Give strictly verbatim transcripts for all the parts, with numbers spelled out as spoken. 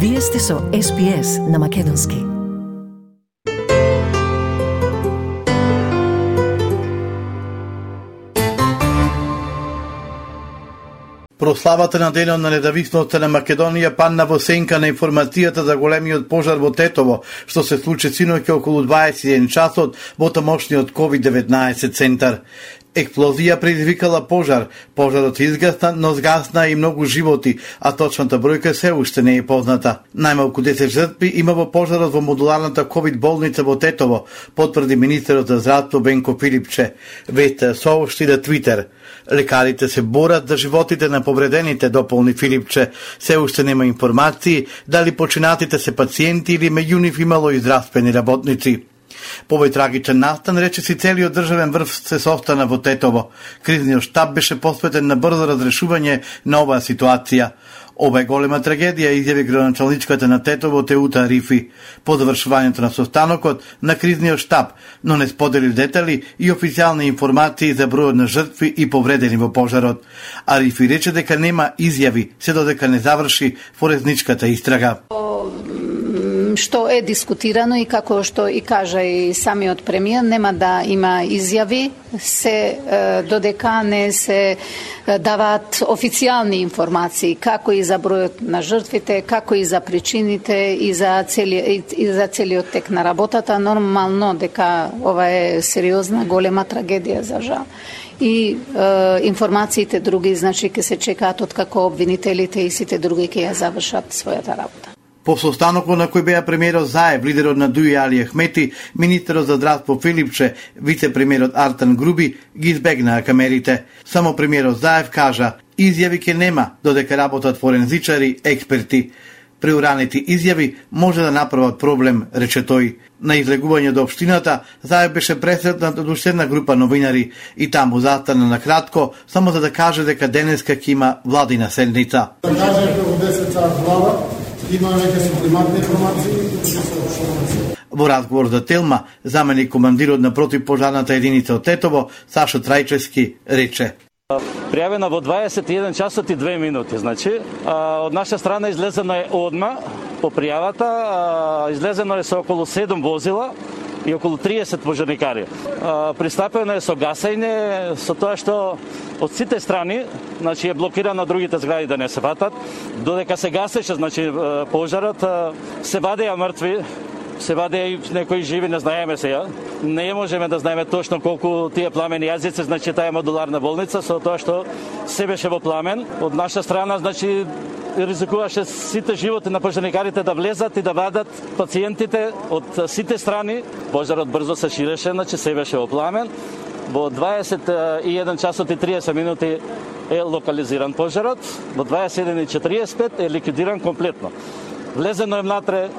Вие сте со Ес Би Ес на Македонски. Прославата на денот на независноста на Македонија падна во сенка на информацијата за големиот пожар во Тетово, што се случи синоќа околу дваесет и еден часот во тамошниот ковид деветнаесет центар. Експлозија предизвикала пожар. Пожарот се изгасна, но згасна и многу животи, а точната бројка се уште не е позната. Најмалку десет жртви има во пожарот во модуларната ковид болница во Тетово, потврди министерот за здравство Венко Филипче. Веста соопшти на Твитер. Лекарите се борат за животите на повредените, дополни Филипче. Се уште нема информации дали починатите се пациенти или меѓу нив имало и здравствени работници. Повој трагичен настан, рече си, целиот државен врв се состана во Тетово. Кризниот штаб беше посветен на брзо разрешување на оваа ситуација. Ова е голема трагедија, изјави градоначалничката на Тетово Теута Рифи по завршувањето на состанокот на кризниот штаб, но не сподели детали и официјални информации за бројот на жртви и повредени во пожарот. А Рифи рече дека нема изјави се додека не заврши форезничката истрага. Што е дискутирано и како што и кажа и самиот премиер, нема да има изјави се додека не се даваат официјални информации како и за бројот на жртвите, како и за причините и за целиот и за целиот тек на работата. Нормално дека ова е сериозна голема трагедија за жал. И е, информациите други, значи ќе се чекаат од како обвинителите и сите други ќе ја завршат својата работа. По состанокот на кој беа премиерот Заев, лидерот на Дуи Али Ахмети, министерот за здравство Филипче, вице-премиерот Артан Груби ги избегнаа камерите. Само премиерот Заев кажа: изјави ке нема додека работат форензичари, експерти. Преуранети изјави може да направат проблем, рече тој. На излегување до општината, Заев беше пресретнат од уште една група новинари и таму застана на кратко, само за да каже дека денеска ќе има владина седница. Да кажа во десет сат влада, има веќе суплиматни информации. Во разговор за Телма, заменик командирот на противпожарната единица од Тетово, Сашо Трајчевски, рече: Пријавена во дваесет и еден часот и две минути, значи, од наша страна излезено е одма по пријавата, излезено е со околу седум возила и околу триесет пожарникари. Пристапено е со гасење, со тоа што од сите страни, значи е блокирано другите згради да не се фатат. Додека се гасеше, значи пожарот, се вадеа мртви, се вадеа и некои живи, не знаеме сега. Не можеме да знаеме точно колку тие пламени јазици, значи таа е модуларна болница, со тоа што се беше во пламен. Од наша страна, значи, ризикуваше сите животи на пожарникарите да влезат и да вадат пациентите од сите страни. Пожарот брзо се ширеше, значи се беше во пламен. Во дваесет и еден часот и триесет минути е локализиран пожарот. Во дваесет и еден и четириесет и пет е ликвидиран комплетно. Влезено е внатре,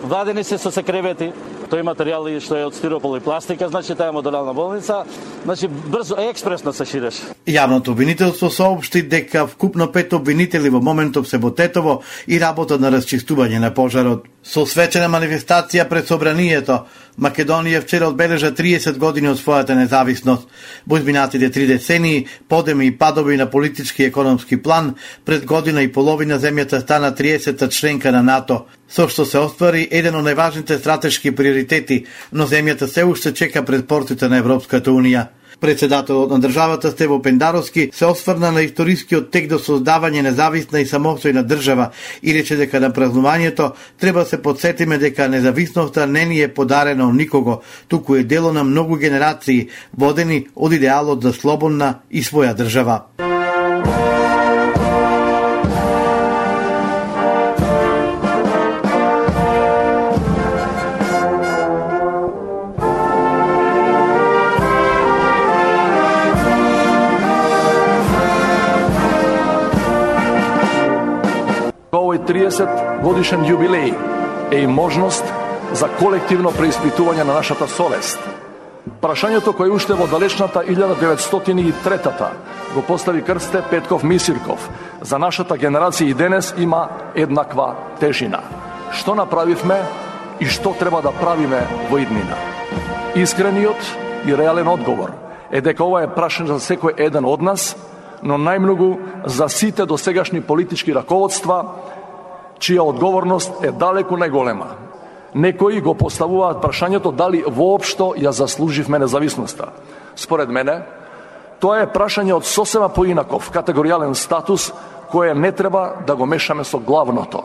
вадени се со секревети, тој материјал што е од стиропол и пластика, значи таа е модуларна болница, значи брзо и експресно се ширеше. Јавното обвинителство соопшти дека вкупно пет обвинители во моментов се во Тетово и работат на расчистување на пожарот. Со свечена манифестација пред собранието, Македонија вчера одбележа триесет години од својата независност. Во изминатите три децении, подеми и падови на политички и економски план, пред година и половина земјата стана триесета членка на НАТО, со што се оствари еден од најважните стратешки приоритети, но земјата се уште чека пред портите на Европската Унија. Председателот на државата Стево Пендаровски се осврна на историскиот тек до создавање независна и самостојна држава и рече дека на празнувањето треба се подсетиме дека независноста не ни е подарена од никого, туку е дело на многу генерации, водени од идеалот за слободна и своја држава. триесет годишен јубилеј е и можност за колективно преиспитување на нашата совест. Прашањето кое уште во далечната илјада деветстотини и трета го постави Крсте Петков Мисирков за нашата генерација и денес има еднаква тежина. Што направивме и што треба да правиме во иднина? Искрениот и реален одговор е дека ова е прашање за секој еден од нас, но најмногу за сите досегашни политички раководства, чија одговорност е далеку најголема. Некои го поставуваат прашањето дали воопшто ја заслуживме независноста. Според мене, тоа е прашање од сосема поинаков категоријален статус, кое не треба да го мешаме со главното.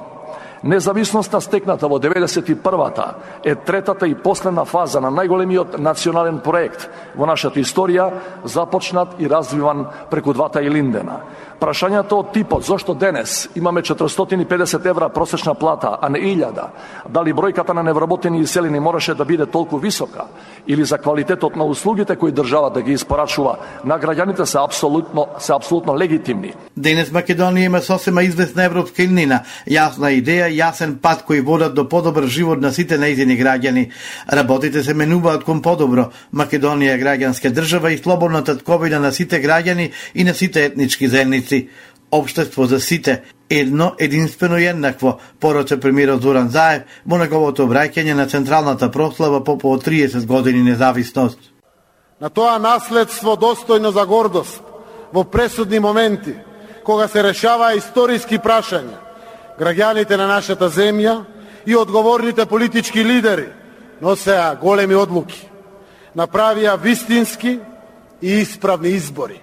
Независноста стекната во деветдесет и првата е третата и последна фаза на најголемиот национален проект во нашата историја, започнат и развиван преку двата Илиндена. Прашањето од типот зошто денес имаме четиристотини и педесет евра просечна плата, а не илјада, дали бројката на невработени и иселени мораше да биде толку висока, или за квалитетот на услугите кои држава да ги испорачува на граѓаните се апсолутно се апсолутно легитимни. Денес Македонија има сосема известна европска иднина, јасна идеја, јасен пат кој водат до подобар живот на сите нејзини граѓани. Работите се менуваат кон подобро. Македонија е граѓанска држава и слободна татковина на сите граѓани и на сите етнички заедници. Општество за сите, едно, единствено и еднакво, порача премиерот Зоран Заев во неговото обраќање на централната прослава по по триесет години независност. На тоа наследство достојно за гордост во пресудни моменти, кога се решава историски прашања, граѓаните на нашата земја и одговорните политички лидери носеа големи одлуки, направија вистински и исправни избори.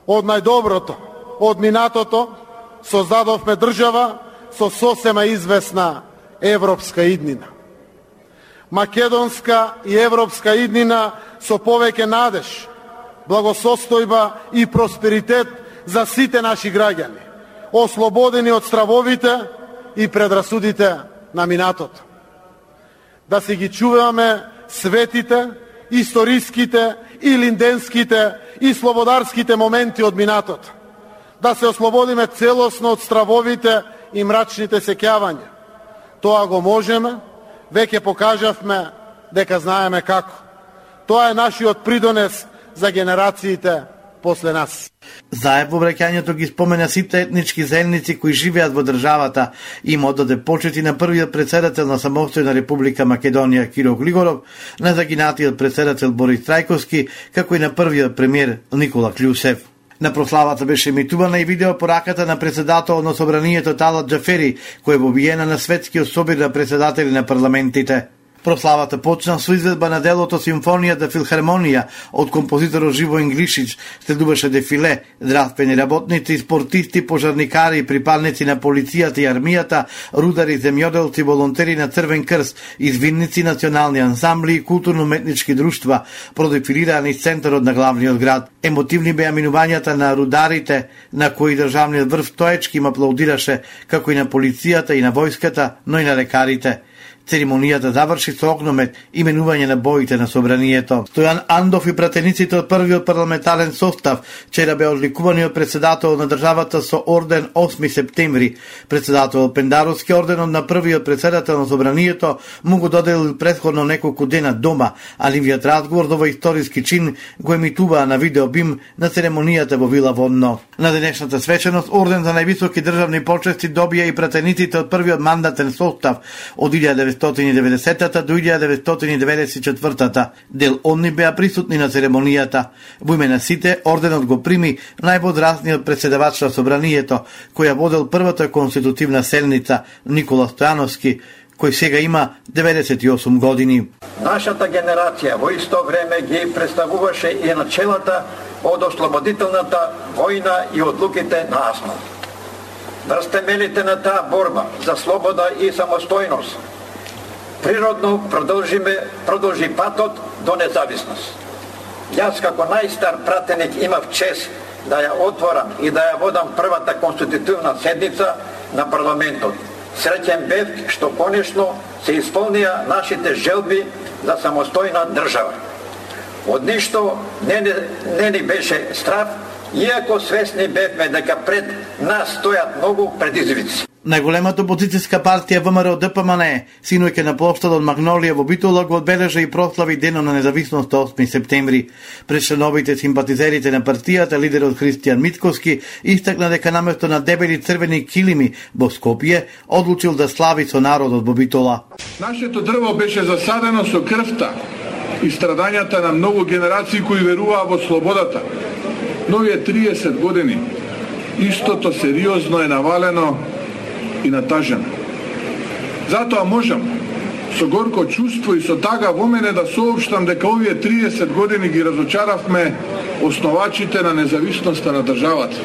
Од најдоброто, од минатото, создадовме држава со сосема известна европска иднина. Македонска и европска иднина со повеќе надеж, благосостојба и просперитет за сите наши граѓани, ослободени од стравовите и предрасудите на минатото. Да си ги чуваме светите, историските и линденските и слободарските моменти од минатото. Да се ослободиме целосно од стравовите и мрачните сеќавања. Тоа го можеме, веќе покажавме дека знаеме како. Тоа е нашиот придонес за генерациите после нас. Заев во обраќањето ги спомена сите етнички заедници кои живеат во државата и им оддаде почити на првиот претседател на самостојна Република Македонија Киро Глигоров, на загинатиот претседател Борис Трајковски, како и на првиот премиер Никола Клјусев. На прославата беше емитувана и видео пораката на председател на собранието Талат Џафери, кој е вобиена на светскиот собир на председатели на парламентите. Прославата почна со изведба на делото Симфонијата филхармонија од композиторот Живој Инглишич, следуваше дефиле, здравствени работници, спортисти, пожарникари и припадници на полицијата и армијата, рудари, земјоделци, волонтери на Црвен крст, извинници, национални ансамбли и културно-уметнички друштва продефилираа низ центарот на главниот град. Емотивни беа минувањата на рударите, на кои државниот врв стоечки им аплаудираше, како и на полицијата и на војската, но и на лекарите. Церемонијата заврши со огномет именување на боите на собранието. Стојан Андов и пратениците од првиот парламентарен состав вчера беа одликувани од председател на државата со орден осми септември. Председател Пендаровски орденот на првиот председател на собранието му го доделил претходно неколку дена дома, а нивниот разговор за овој историски чин го емитуваа на видеобим на церемонијата во Вила Водно. На денешната свеченост орден за највисоки државни почести добија и пратениците од првиот мандатен состав од илјада деветстотини и деветдесетата до илјада деветстотини и деветдесет и четвртата. Дел онни беа присутни на церемонијата. Во име на сите, орденот го прими највозрасниот председавач на собранието, која водел првата конститутивна седница, Никола Стојановски, кој сега има деветдесет и осум години. Нашата генерација во исто време ги представуваше и начелата од ослободителната војна и одлуките на Асман. Врз темелите на таа борба за слобода и самостојност природно продолжиме, продолжи патот до независност. Јас како најстар пратеник имав чест да ја отворам и да ја водам првата конститутивна седница на парламентот. Среќен бев што конечно се исполнија нашите желби за самостојна држава. Од ништо не, не, не ни беше страв, иако свесни бевме дека пред нас стојат многу предизвици. Најголемата опозицијска партија ВМРО Д П М Н, синоќа на плоштадот Магнолија во Битола, го одбележа и прослави денот на независноста осми септември. Пред членовите симпатизерите на партијата, лидерот Христијан Мицковски истакна дека наместо на дебели црвени килими во Скопје, одлучил да слави со народот во Битола. Нашето дрво беше засадено со крвта и страдањата на многу генерации кои веруваа во слободата. Но овие триесет години истото сериозно е навалено и натажена. Затоа можам со горко чувство и со тага во мене да соопштам дека овие триесет години ги разочаравме основачите на независноста на државата.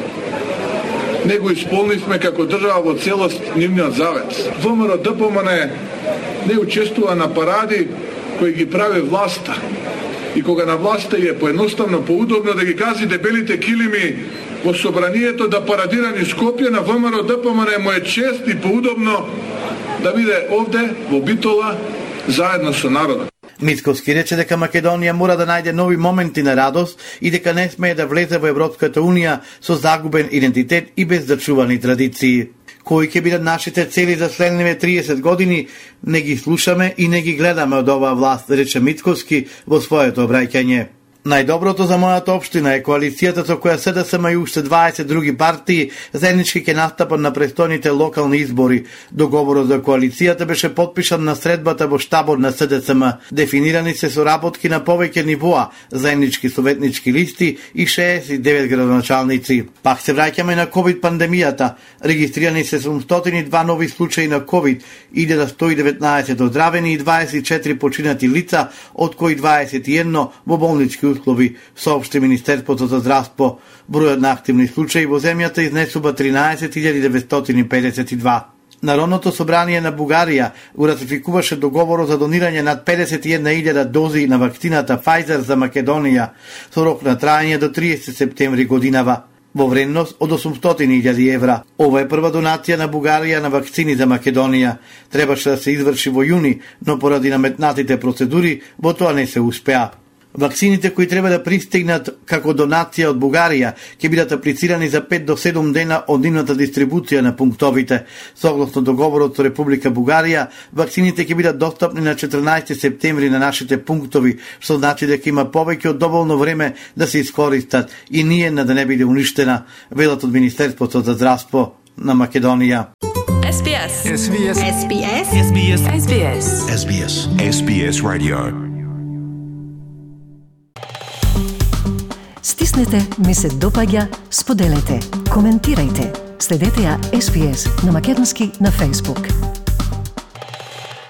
Не го исполнивме како држава во целост нивниот завет. ВМРО-ДПМН не учествува на паради кои ги прави власта. И кога на власта е поедноставно поудобно да ги гази дебелите килими во собранието да парадира низ Скопје, на ВМРО-ДПМН му е чест и поудобно да биде овде во Битола заедно со народот. Мицковски рече дека Македонија мора да најде нови моменти на радост и дека не смее да влезе во Европската Унија со загубен идентитет и без зачувани традиции. Кои ќе бидат нашите цели за следниве триесет години, не ги слушаме и не ги гледаме од оваа власт, рече Мицковски во своето обраќање. Најдоброто за мојата општина е коалицијата со која СДСМ и уште дваесет други партии заеднички ќе настапат на престојните локални избори. Договорот за коалицијата беше потпишан на средбата во штабот на СДСМ. Дефинирани се соработки на повеќе нивоа, заеднички советнички листи и шеесет и девет градоначалници. Пак се враќаме на ковид пандемијата. Регистрирани се седумстотини и два нови случаи на ковид, илјада сто и деветнаесет оздравени и дваесет и четири починати лица, од кои дваесет и едно во болнички услови, соопшти Министерството за здравство. Бројот на активни случаи во земјата изнесува тринаесет илјади деветстотини педесет и два. Народното собрание на Бугарија го ратификуваше договорот за донирање над педесет и една илјада дози на вакцината Pfizer за Македонија со рок на траење до триесет септември годинава, во вредност од осумстотини илјади евра. Ова е прва донација на Бугарија на вакцини за Македонија. Требаше да се изврши во јуни, но поради наметнатите процедури во тоа не се успеа. Вакцините кои треба да пристигнат како донација од Бугарија ќе бидат аплицирани за пет до седум дена од нивната дистрибуција на пунктовите. Согласно договорот со Република Бугарија, вакцините ќе бидат достапни на четрнаесети септември на нашите пунктови, што значи дека има повеќе од доволно време да се искористат и ниедна да не биде уништена, велат од Министерството за здравство на Македонија. Ес Би Ес. Ес Би Ес. Ес Би Ес. Ес Би Ес. Ес Би Ес. Ес Би Ес. Ес Би Ес Radio. Стиснете, ми се допаѓа, споделете, коментирајте. Следете ја Ес Би Ес на македонски на Facebook.